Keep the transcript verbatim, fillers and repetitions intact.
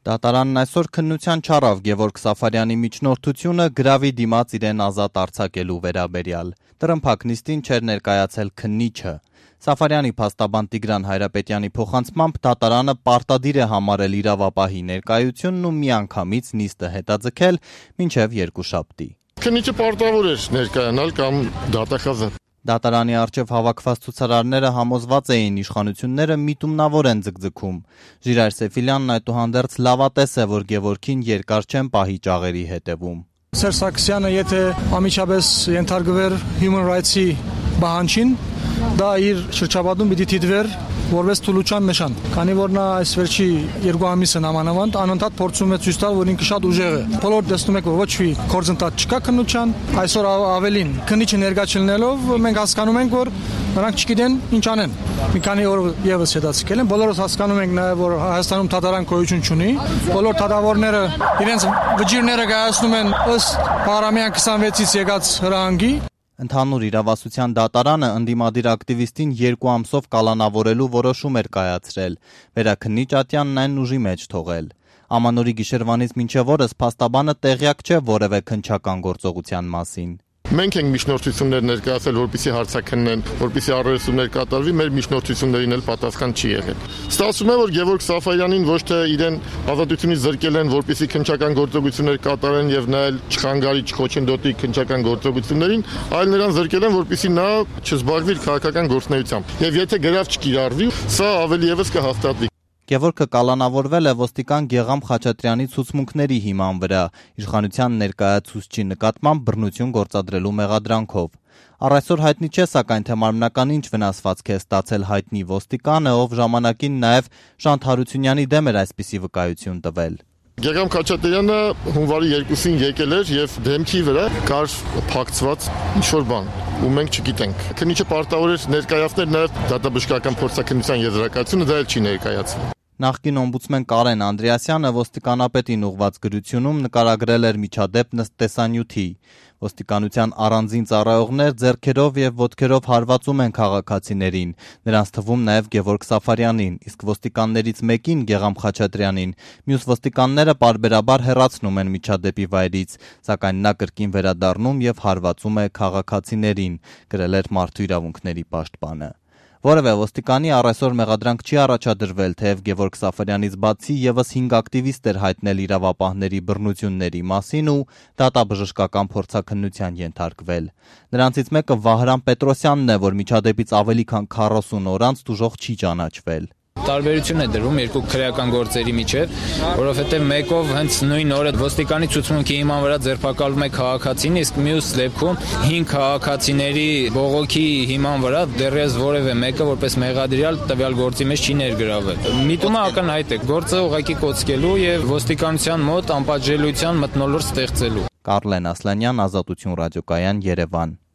Դատարանն այսօր քննության չառավ Գևորգ Սաֆարյանի միջնորդությունը գրավի դիմաց իրեն ազատ արձակելու վերաբերյալ։ Տրմփակ նիստին չէր ներկայացել քննիչը։ Սաֆարյանի փաստաբան Տիգրան Հայրապետյանի փոխանցմամբ դատարանը պարտադիր է համարել իրավապահի ներկայությունն ու միանգամից նիստը հետաձգել մինչև երկուշաբթի։ Քննիչը պարտավոր էր ներկայանալ կամ դատախազը։ Դատարանի առջև հավաքված ցուցարարները համոզված էին իշխանությունները միտումնավոր են ձգձգում։ Ժիրայր Սեֆիլյանն այդուհանդերձ լավատես է, որ Գևորգին երկար չեն պահի ճաղերի հետևում։ Սերժ Սարգսյանը եթե ամիջապես ենթարկվեր Human Rights-ի բանջին, դա իր շրջապատում պիտի դիտվեր որպես թուլության նշան, քանի որ նա այս վերջի երկու ամիսը նամանավանդ անընդհատ փորձում է ցույց տալ, որ ինքը շատ ուժեղ է։ Բոլոր տեսնում եք, որ ոչ մի գործընթաց չկա քննության, այսօր ավելին քննիչը ներկա չլինելով մենք հասկանում ենք, որ նրանք չգիտեն ինչ անեն։ Մի քանի օր եւս հետաձգել են, բոլորս հասկանում ենք նաեւ, որ Հայաստանում դատարան գոյություն չունի, բոլոր դատավորները իրենց վճիրները կայացնում են ըստ Փարամյան քսանվեցից եկած հրահանգի։ Ընդհանուր իրավասության դատարանը ընդդիմադիր ակտիվիստին երկու ամսով կալանավորելու որոշում էր կայացրել, վերաքննիչ Ատյանն այն ուժի մեջ թողել։ Ամանորի գիշերվանից մինչև օրս փաստաբանը տեղյակ չէ որևէ քննչական գործողության մասին։ Մենք ենք միջնորդություններ ներկայացել, որպեսզի հարցաքննեն, որպեսզի առերեսումներ կատարվի, մեր միջնորդություններին էլ պատասխան չի եղել։ Ստացվում է, որ Գևորգ Սաֆարյանին ոչ թե իրեն ազատությունից զրկել են, որպեսզի քննչական գործողություններ կատարեն եւ նա էլ չխանգարի, չխոչընդոտի քննչական գործողություններին, այլ նրան զրկել են, որպեսզի նա չզբաղվի իր քաղաքական գործունեությամբ։ Եվ եթե գրավ չկիրառվի, սա ավելի եւս կհաստատվի։ Գևորգը կալանավորվել է ոստիկան Գեգամ Խաչատրյանի ցուցմունքների հիման վրա, իշխանության ներկայացուցչի նկատմամբ բռնություն գործադրելու մեղադրանքով։ Առ այսօր հայտնի չէ, սակայն թե մարմնական ինչ վնասվածք է ստացել հայտնի ոստիկանը, ով ժամանակին նաև Շանթ Հարությունյանի դեմ էր այսպիսի վկայություն տվել։ Գեգամ Խաչատրյանը հունվարի երկուսին եկել էր եւ դեմքի վրա կար փակցված ինչ-որ բան, ու մենք չգիտենք։ Քննիչը պարտավոր էր ներկայացնել նաև դատաբժշկական փորձաքննության եզրակացությունը, դա էլ չի ներկայացվել։ Նախկին օմբուդսմեն Կարեն Անդրեասյանը ոստիկանապետին ուղված գրությունում նկարագրել էր միջադեպ տեսանյութի։ Ոստիկանության առանձին ծառայողներ ձեռքերով եւ ոտքերով հարվածում են քաղաքացիներին, նրանց թվում նաեւ Գևորգ Սաֆարյանին, իսկ ոստիկաններից մեկին Գեգամ Խաչատրյանին, մյուս ոստիկանները պարբերաբար հեռացնում են միջադեպի վայրից, սակայն նա կրկին վերադառնում եւ հարվածում է քաղաքացիներին, գրել էր Մարդու իրավունքների պաշտպանը։ Որևէ ոստիկանի առ այսօր մեղադրանք չի առաջադրվել, թեև Գևորգ Սաֆարյանից բացի եւս հինգ ակտիվիստ էր հայտնել իրավապահների բռնությունների մասին ու դատաբժշկական փորձաքննության ենթարկվել։ Նրանցից մեկը Վահրամ Պետրոսյանն է, որ միջադեպից ավելի քան քառասուն օր անց տուժող չի ճանաչվել։ Տարբերություն է դրվում երկու քրեական գործերի միջև, որովհետև մեկով հենց նույն օրը ոստիկանի ցուցմունքի հիման վրա ձերբակալվում է քաղաքացին, իսկ մյուս դեպքում հինգ քաղաքացիների բողոքի հիման վրա դեռևս որևէ մեկը որպես մեղադրյալ տվյալ գործի մեջ չի ներգրավել։ Միտումը ակնհայտ է, գործը ուղղակի կոծկելու եւ ոստիկանության մոտ անպատժելիության մթնոլորտ ստեղծելու։ Կարլեն Ասլանյան, Ազատություն ռադիոկայան, Երևան։